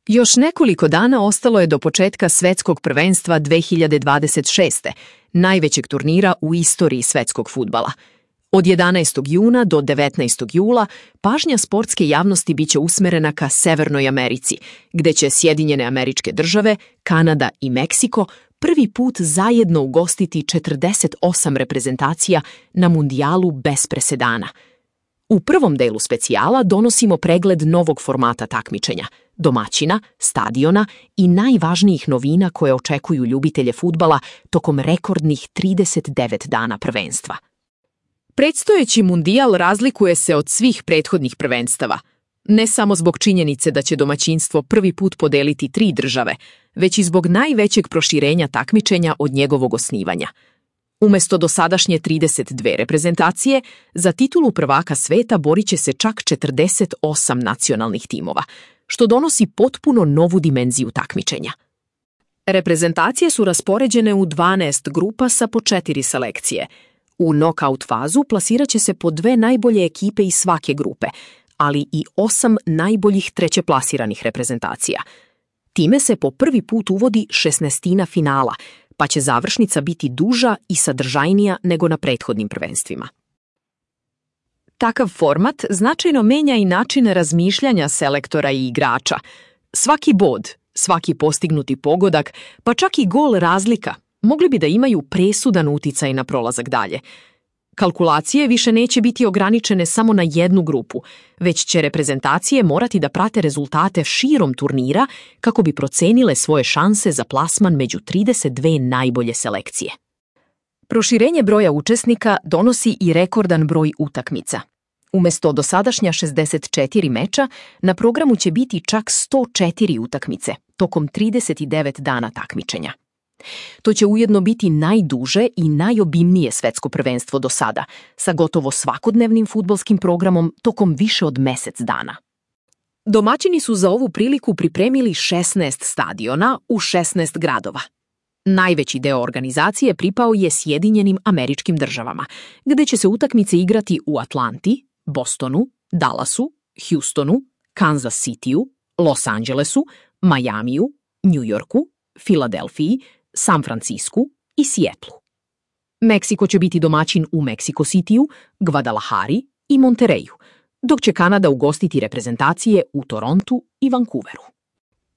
Još nekoliko dana ostalo je do početka Svetskog prvenstva 2026. najvećeg turnira u istoriji svetskog fudbala. Od 11. juna do 19. jula pažnja sportske javnosti biće usmerena ka Severnoj Americi, gde će Sjedinjene Američke Države, Kanada i Meksiko prvi put zajedno ugostiti 48 reprezentacija na mundijalu bez presedana. U prvom delu specijala donosimo pregled novog formata takmičenja, domaćina, stadiona i najvažnijih novina koje očekuju ljubitelje fudbala tokom rekordnih 39 dana prvenstva. Predstojeći mundijal razlikuje se od svih prethodnih prvenstava, ne samo zbog činjenice da će domaćinstvo prvi put podeliti 3 države, već i zbog najvećeg proširenja takmičenja od njegovog osnivanja. Umesto dosadašnje 32 reprezentacije, za titulu prvaka sveta borit će se čak 48 nacionalnih timova, što donosi potpuno novu dimenziju takmičenja. Reprezentacije su raspoređene u 12 grupa sa po 4 selekcije. U nokaut fazu plasirat će se po 2 najbolje ekipe iz svake grupe, ali i 8 najboljih trećeplasiranih reprezentacija. Time se po prvi put uvodi 16 finala, pa će završnica biti duža i sadržajnija nego na prethodnim prvenstvima. Takav format značajno menja i načine razmišljanja selektora i igrača. Svaki bod, svaki postignuti pogodak, pa čak i gol razlika, mogli bi da imaju presudan uticaj na prolazak dalje. Kalkulacije više neće biti ograničene samo na jednu grupu, već će reprezentacije morati da prate rezultate širom turnira kako bi procenile svoje šanse za plasman među 32 najbolje selekcije. Proširenje broja učesnika donosi i rekordan broj utakmica. Umesto dosadašnja 64 meča, na programu će biti čak 104 utakmice tokom 39 dana takmičenja. To će ujedno biti najduže i najobimnije svetsko prvenstvo do sada, sa gotovo svakodnevnim fudbalskim programom tokom više od mesec dana. Domaćini su za ovu priliku pripremili 16 stadiona u 16 gradova. Najveći deo organizacije pripao je Sjedinjenim Američkim Državama, gde će se utakmice igrati u Atlanti, Bostonu, Dallasu, Houstonu, Kansas Cityu, Los Angelesu, Majamiju, New Yorku, Filadelfiji, San Francisku i Sijetlu. Meksiko će biti domaćin u Meksiko Cityu, Guadalajari i Monterreyu, dok će Kanada ugostiti reprezentacije u Torontu i Vancouveru.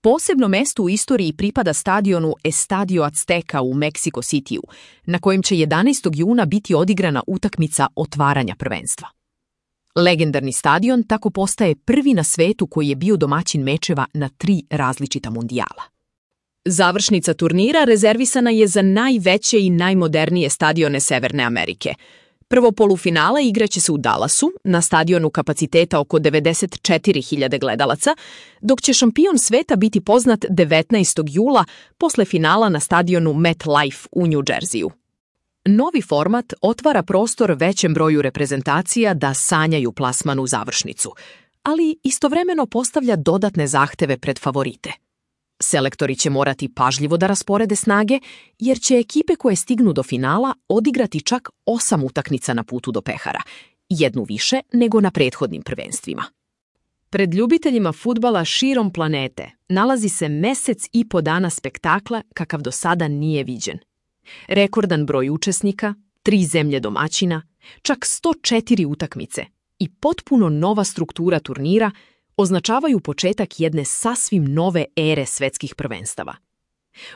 Posebno mesto u istoriji pripada stadionu Estadio Azteca u Meksiko Cityu, na kojem će 11. juna biti odigrana utakmica otvaranja prvenstva. Legendarni stadion tako postaje prvi na svetu koji je bio domaćin mečeva na 3 različita mundijala. Završnica turnira rezervisana je za najveće i najmodernije stadione Severne Amerike. Prvo polufinala igraće se u Dallasu, na stadionu kapaciteta oko 94.000 gledalaca, dok će šampion sveta biti poznat 19. jula posle finala na stadionu MetLife u New Jerseyu. Novi format otvara prostor većem broju reprezentacija da sanjaju plasman u završnicu, ali istovremeno postavlja dodatne zahteve pred favorite. Selektori će morati pažljivo da rasporede snage, jer će ekipe koje stignu do finala odigrati čak 8 utakmica na putu do pehara, jednu više nego na prethodnim prvenstvima. Pred ljubiteljima fudbala širom planete nalazi se mesec i po dana spektakla kakav do sada nije viđen. Rekordan broj učesnika, 3 zemlje domaćina, čak 104 utakmice i potpuno nova struktura turnira označavaju početak jedne sasvim nove ere svetskih prvenstava.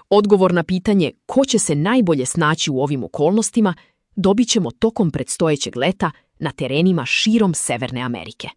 Odgovor na pitanje ko će se najbolje snaći u ovim okolnostima dobit ćemo tokom predstojećeg leta na terenima širom Severne Amerike.